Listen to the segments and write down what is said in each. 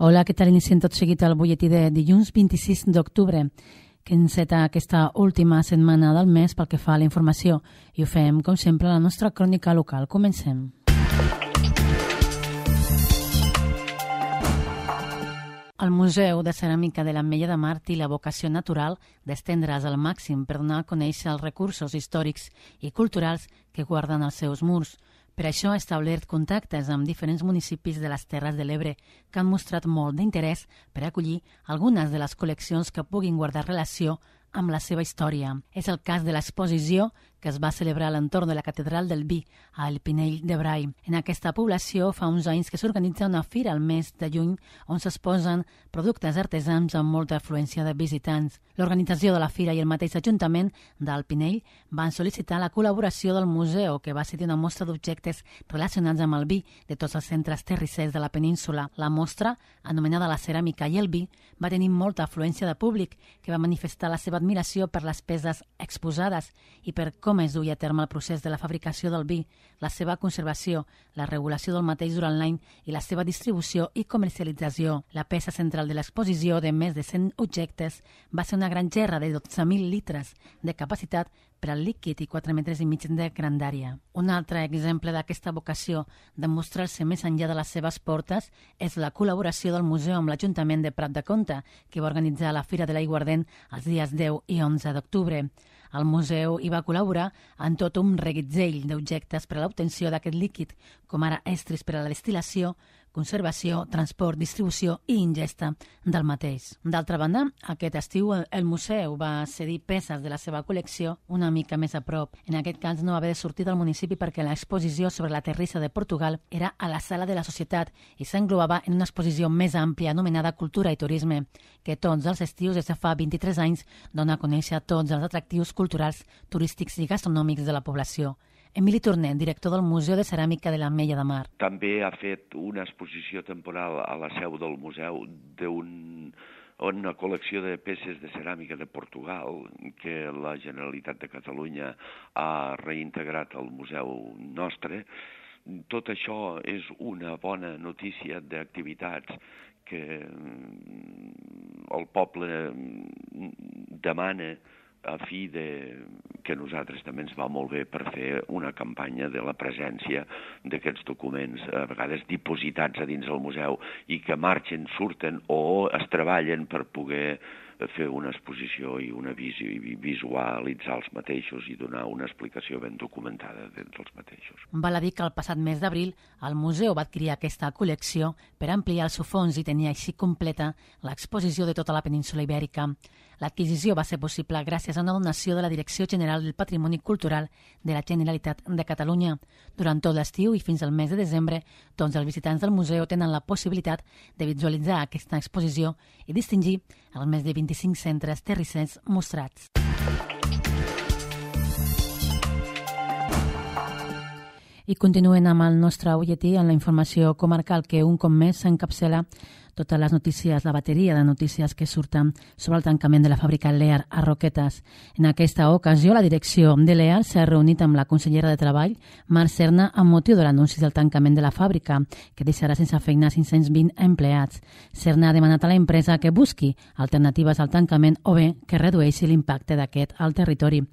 Hola, què tal? Iniciem tot seguit el butlletí de dilluns 26 d'octubre, que enceta aquesta última setmana del mes pel que fa a la informació. I ho fem, com sempre, a la nostra crònica local. Comencem. El Museu de Ceràmica de l'Ametlla de Mar té la vocació natural d'estendre's al màxim per donar a conèixer els recursos històrics i culturals que guarden els seus murs. Per això ha establert contactes amb diferents municipis de les Terres de l'Ebre que han mostrat molt d'interès per acollir algunes de les col·leccions que puguin guardar relació amb la seva història. És el cas de l'exposició que es va celebrar a l'entorn de la Catedral del Vi, a El Pinell de Brai. En aquesta població fa uns anys que s'organitza una fira al mes de juny on s'exposen productes artesans amb molta afluència de visitants. L'organització de la fira i el mateix Ajuntament del Pinell van sol·licitar la col·laboració del museu, que va cedir una mostra d'objectes relacionats amb el vi de tots els centres terrissers de la península. La mostra, anomenada La ceràmica i el vi, va tenir molta afluència de públic que va manifestar la seva admiració per les peces exposades i per com es duia a terme el procés de la fabricació del vi, la seva conservació, la regulació del mateix durant l'any i la seva distribució i comercialització. La peça central de l'exposició, de més de 100 objectes, va ser una gran gerra de 12.000 litres de capacitat per al líquid i 4,5 metres de grandària. Un altre exemple d'aquesta vocació de mostrar-se més enllà de les seves portes és la col·laboració del museu amb l'Ajuntament de Prat de Comte, que va organitzar la Fira de l'Aiguardent els dies 10 i 11 d'octubre. El museu hi va col·laborar en tot un reguitzell d'objectes per a l'obtenció d'aquest líquid, com ara estris per a la destil·lació, conservació, transport, distribució i ingesta del mateix. D'altra banda, aquest estiu el museu va cedir peces de la seva col·lecció una mica més a prop. En aquest cas no va haver de sortir del municipi perquè l'exposició sobre la terrissa de Portugal era a la Sala de la Societat i s'englobava en una exposició més àmplia anomenada Cultura i Turisme, que tots els estius des de fa 23 anys dona a conèixer tots els atractius culturals, turístics i gastronòmics de la població. Emili Tornet, director del Museu de Ceràmica de l'Ametlla de Mar. També ha fet una exposició temporal a la seu del museu una col·lecció de peces de ceràmica de Portugal que la Generalitat de Catalunya ha reintegrat al museu nostre. Tot això és una bona notícia d'activitats que el poble demana a fi que nosaltres també ens va molt bé per fer una campanya de la presència d'aquests documents, a vegades dipositats a dins del museu i que marxen, surten o es treballen per poder fer una exposició i una visió i visualitzar els mateixos i donar una explicació ben documentada dels mateixos. Val a dir que el passat mes d'abril el museu va adquirir aquesta col·lecció per ampliar el seu fons i tenir així completa l'exposició de tota la península ibèrica. L'adquisició va ser possible gràcies a una donació de la Direcció General del Patrimoni Cultural de la Generalitat de Catalunya. Durant tot l'estiu i fins al mes de desembre, tots els visitants del museu tenen la possibilitat de visualitzar aquesta exposició i distingir els més de 25 centres terrissers mostrats. I continuen amb el nostre butlletí en la informació comarcal que un cop més s'encapçala totes les notícies, la bateria de notícies que surten sobre el tancament de la fàbrica Lear a Roquetes. En aquesta ocasió, la direcció de Lear s'ha reunit amb la consellera de Treball, Mar Serna, amb motiu de l'anunci del tancament de la fàbrica, que deixarà sense feina 520 empleats. Serna ha demanat a la empresa que busqui alternatives al tancament o bé que redueixi l'impacte d'aquest al territori.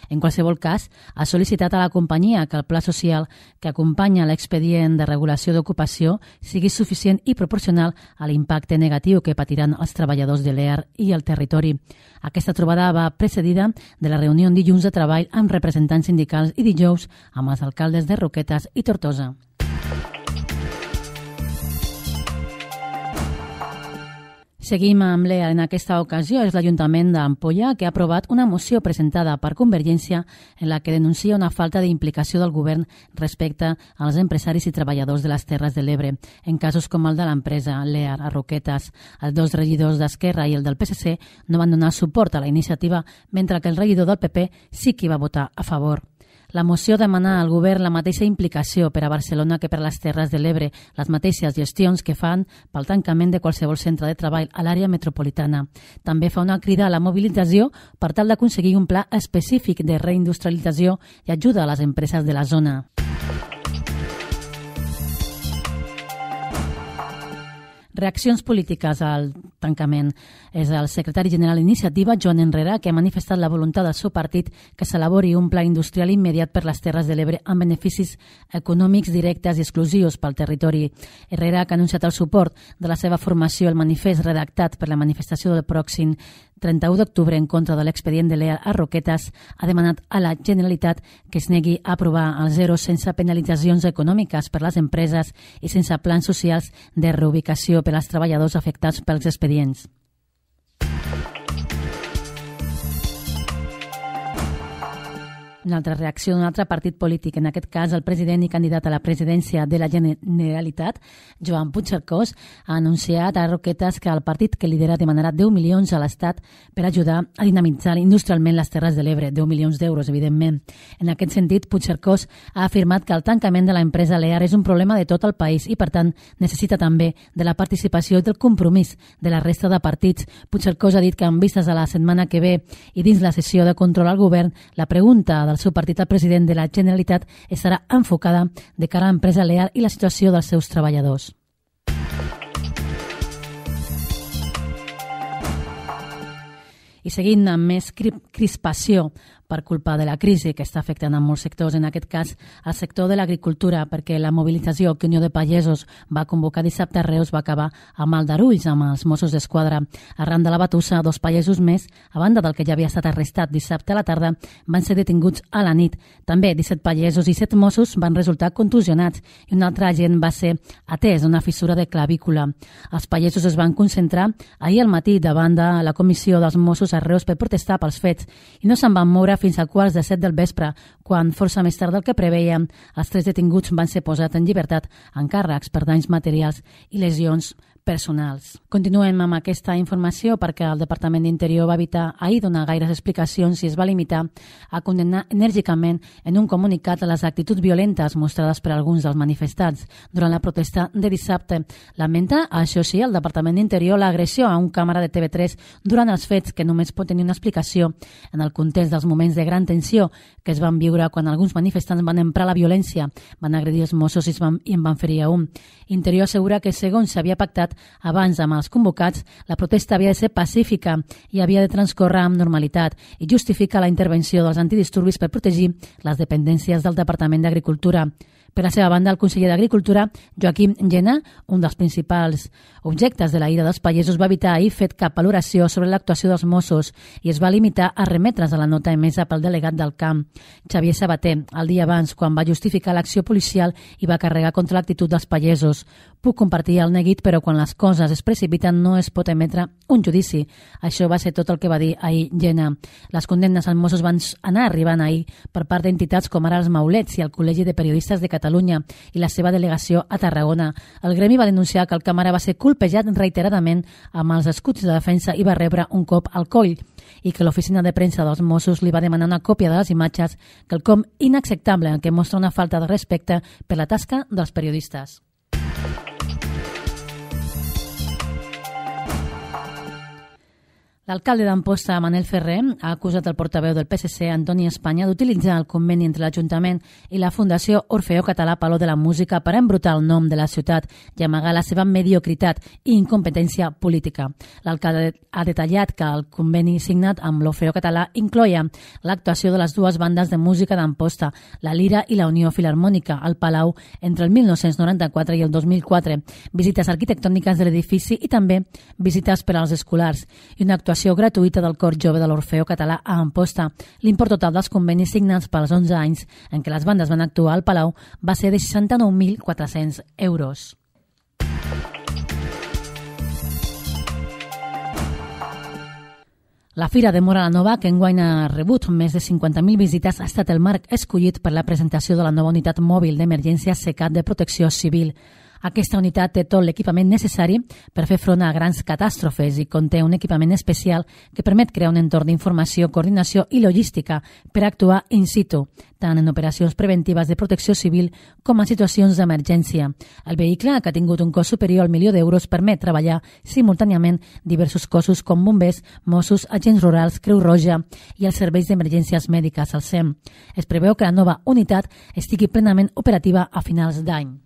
En qualsevol cas, ha sol·licitat a la companyia que el pla social que acompanya l'expedient de regulació d'ocupació sigui suficient i proporcional a l'impacte negatiu que patiran els treballadors de l'EAR i el territori. Aquesta trobada va precedida de la reunió dilluns de treball amb representants sindicals i dijous amb els alcaldes de Roquetes i Tortosa. Seguim amb l'EAR. En aquesta ocasió és l'Ajuntament d'Ampolla que ha aprovat una moció presentada per Convergència en la que denuncia una falta d'implicació del govern respecte als empresaris i treballadors de les Terres de l'Ebre, en casos com el de l'empresa l'EAR a Roquetes. Els dos regidors d'Esquerra i el del PSC no van donar suport a la iniciativa, mentre que el regidor del PP sí que hi va votar a favor. La moció demana al govern la mateixa implicació per a Barcelona que per a les Terres de l'Ebre, les mateixes gestions que fan pel tancament de qualsevol centre de treball a l'àrea metropolitana. També fa una crida a la mobilització per tal d'aconseguir un pla específic de reindustrialització i ajuda a les empreses de la zona. Reaccions polítiques al tancament. És el secretari general d'Iniciativa, Joan Herrera, que ha manifestat la voluntat del seu partit que s'elabori un pla industrial immediat per les Terres de l'Ebre amb beneficis econòmics directes i exclusius pel territori. Herrera, que ha anunciat el suport de la seva formació al manifest redactat per la manifestació del pròxim 31 d'octubre en contra de l'expedient de l'EA a Roquetes, ha demanat a la Generalitat que es negui a aprovar els zeros sense penalitzacions econòmiques per les empreses i sense plans socials de reubicació per als treballadors afectats pels expedients. Una altra reacció d'un altre partit polític, en aquest cas el president i candidat a la presidència de la Generalitat, Joan Puigcercós, ha anunciat a Roquetes que el partit que lidera demanarà 10 milions a l'Estat per ajudar a dinamitzar industrialment les Terres de l'Ebre, 10 milions d'euros, evidentment. En aquest sentit, Puigcercós ha afirmat que el tancament de l'empresa Lear és un problema de tot el país i, per tant, necessita també de la participació i del compromís de la resta de partits. Puigcercós ha dit que, en vistes a la setmana que ve i dins la sessió de control al govern, la pregunta del seu partit al president de la Generalitat estarà enfocada de cara a l'empresa Lear i la situació dels seus treballadors. I seguint amb més crispació per culpa de la crisi que està afectant a molts sectors, en aquest cas al sector de l'agricultura, perquè la mobilització que Unió de Pagesos va convocar dissabte a Reus va acabar amb aldarulls amb els Mossos d'Esquadra. Arran de la batussa, 2 pagesos més, a banda del que ja havia estat arrestat dissabte a la tarda, van ser detinguts a la nit. També 17 pagesos i 7 Mossos van resultar contusionats i un altre agent va ser atès a una fissura de clavícula. Els pagesos es van concentrar ahir al matí davant de la comissió dels Mossos a Reus per protestar pels fets i no se'n van moure fins a 6:15 del vespre, quan, força més tard del que preveien, els 3 detinguts van ser posats en llibertat amb càrrecs per danys materials i lesions personals. Continuem amb aquesta informació perquè el Departament d'Interior va evitar ahir donar gaires explicacions i es va limitar a condemnar enèrgicament en un comunicat a les actituds violentes mostrades per alguns dels manifestants durant la protesta de dissabte. Lamenta, això sí, el Departament d'Interior l'agressió a un càmera de TV3 durant els fets, que només pot tenir una explicació en el context dels moments de gran tensió que es van viure quan alguns manifestants van emprar la violència, van agredir els Mossos i en van ferir a un. Interior assegura que, segons s'havia pactat abans amb els convocats, la protesta havia de ser pacífica i havia de transcorrer amb normalitat i justifica la intervenció dels antidisturbis per protegir les dependències del Departament d'Agricultura. Per la seva banda, el conseller d'Agricultura, Joaquim Llena, un dels principals objectes de la ira dels pagesos, va evitar ahir fet cap valoració sobre l'actuació dels Mossos i es va limitar a remetre's a la nota emesa pel delegat del camp, Xavier Sabater, el dia abans, quan va justificar l'acció policial i va carregar contra l'actitud dels pagesos. Puc compartir el neguit, però quan les coses es precipiten no es pot emetre un judici. Això va ser tot el que va dir ahir Llena. Les condemnes als Mossos van anar arribant ahir per part d'entitats com ara els Maulets i el Col·legi de Periodistes de Catalunya i la seva delegació a Tarragona. El gremi va denunciar que el càmera va ser colpejat reiteradament amb els escuts de defensa i va rebre un cop al coll i que l'oficina de premsa dels Mossos li va demanar una còpia de les imatges, quelcom inacceptable en què mostra una falta de respecte per la tasca dels periodistes. L'alcalde d'Amposta, Manel Ferrer, ha acusat el portaveu del PSC, Antoni Espanya, d'utilitzar el conveni entre l'Ajuntament i la Fundació Orfeó Català Palau de la Música per embrutar el nom de la ciutat i amagar la seva mediocritat i incompetència política. L'alcalde ha detallat que el conveni signat amb l'Orfeó Català incloia l'actuació de les 2 bandes de música d'Amposta, la Lira i la Unió Filharmònica, al Palau, entre el 1994 i el 2004, visites arquitectòniques de l'edifici i també visites per als escolars i una actuació gratuïta del cor jove de l'Orfeó Català a Amposta. L'import total dels convenis signats pels 11 anys en què les bandes van actuar al Palau va ser de 69.400 euros. La Fira de Móra la Nova, que enguany ha rebut més de 50.000 visites, ha estat el marc escollit per la presentació de la nova unitat mòbil d'emergència SECAT de Protecció Civil. Aquesta unitat té tot l'equipament necessari per fer front a grans catàstrofes i conté un equipament especial que permet crear un entorn d'informació, coordinació i logística per actuar in situ, tant en operacions preventives de protecció civil com en situacions d'emergència. El vehicle, que ha tingut un cost superior al $1.000.000, permet treballar simultàniament diversos cossos com bombers, Mossos, agents rurals, Creu Roja i els serveis d'emergències mèdiques, el SEM. Es preveu que la nova unitat estigui plenament operativa a finals d'any.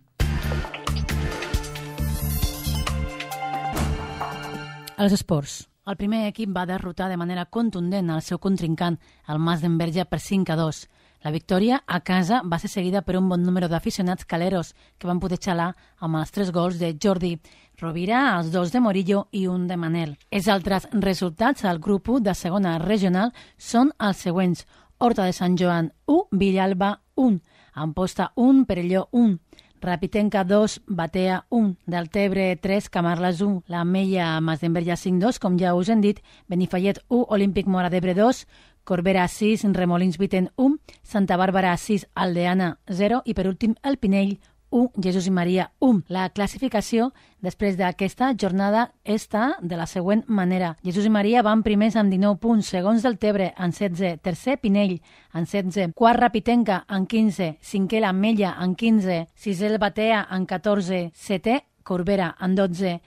Els esports. El primer equip va derrotar de manera contundent el seu contrincant, el Mas d'Enverge, per 5-2. La victòria a casa va ser seguida per un bon número d'aficionats caleros que van poder xalar amb els 3 gols de Jordi Rovira, els 2 de Morillo i un de Manel. Els altres resultats al grup 1 de segona regional són els següents. Horta de Sant Joan 1, Villalba 1, Amposta 1, Perelló 1, Rapitenca 2, Batea 1, Deltebre 3, Camarles 1, la Mella Mas d'Enverge 5-2, com ja us hem dit, Benifallet 1, Olímpic Móra d'Ebre 2, Corbera 6, Remolins Viten 1, Santa Bàrbara 6, Aldeana 0 i per últim el Pinell 1, Jesús i Maria 1. La classificació després d'aquesta jornada està de la següent manera. Jesús i Maria van primers amb 19 punts, segons Deltebre en 16, tercer Pinell en 16, quart Rapitenca en 15, cinquè la Mella en 15, sisè el Batea en 14, setè Corbera en 12,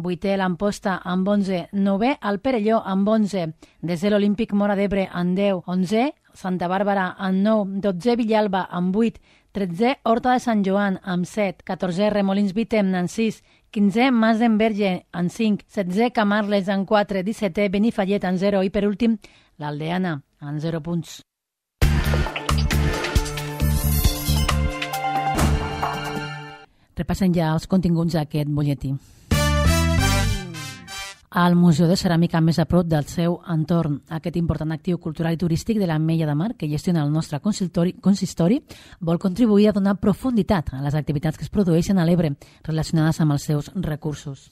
vuitè l'Amposta amb 11, novè el Perelló amb 11, desè l'Olímpic Móra d'Ebre amb 10, 11è Santa Bàrbara amb 9, 12è Villalba amb 8, 13è Horta de Sant Joan amb 7, 14è Remolins Vitem amb 6, 15è Mas d'Enverge amb 5, 16è Camarles amb 4, 17è Benifallet amb 0 i per últim l'Aldeana amb 0 punts. Repassem ja els continguts d'aquest butlletí. Al Museu de Ceràmica més a prop del seu entorn. Aquest important actiu cultural i turístic de l'Ametlla de Mar, que gestiona el nostre consistori, vol contribuir a donar profunditat a les activitats que es produeixen a l'Ebre relacionades amb els seus recursos.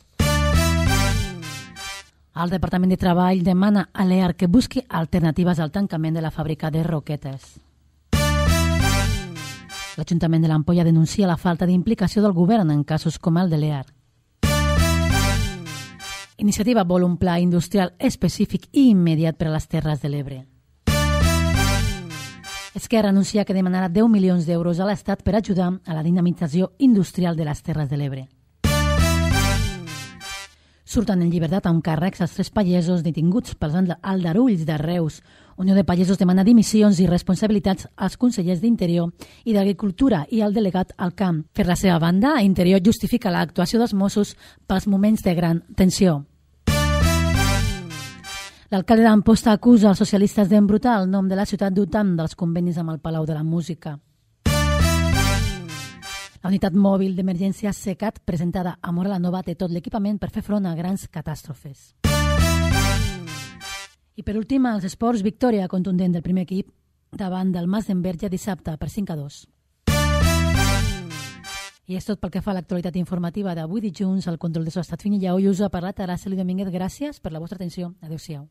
El Departament de Treball demana a l'EAR que busqui alternatives al tancament de la fàbrica de roquetes. L'Ajuntament de l'Ampolla denuncia la falta d'implicació del govern en casos com el de l'EAR. Iniciativa vol un pla industrial específic i immediat per a les Terres de l'Ebre. Esquerra anuncia que demanarà 10 milions d'euros a l'Estat per ajudar a la dinamització industrial de les Terres de l'Ebre. Surten en llibertat amb càrrecs els 3 pagesos detinguts pels aldarulls de Reus. Unió de Pagesos demana dimissions i responsabilitats als consellers d'Interior i d'Agricultura i al delegat al camp. Per la seva banda, Interior justifica l'actuació dels Mossos pels moments de gran tensió. L'alcalde d'Amposta acusa els socialistes d'embrutar el nom de la ciutat dotant dels convenis amb el Palau de la Música. La unitat mòbil d'emergència SECAT, presentada a Móra la Nova, té tot l'equipament per fer front a grans catàstrofes. I per últim, als esports, victòria contundent del primer equip davant del Mas d'Enverge dissabte per 5-2. I és tot pel que fa a l'actualitat informativa d'avui dilluns. Al control de so ha estat Finilla Ollusa, per la Terassa Domínguez. Gràcies per la vostra atenció. Adéu-siau.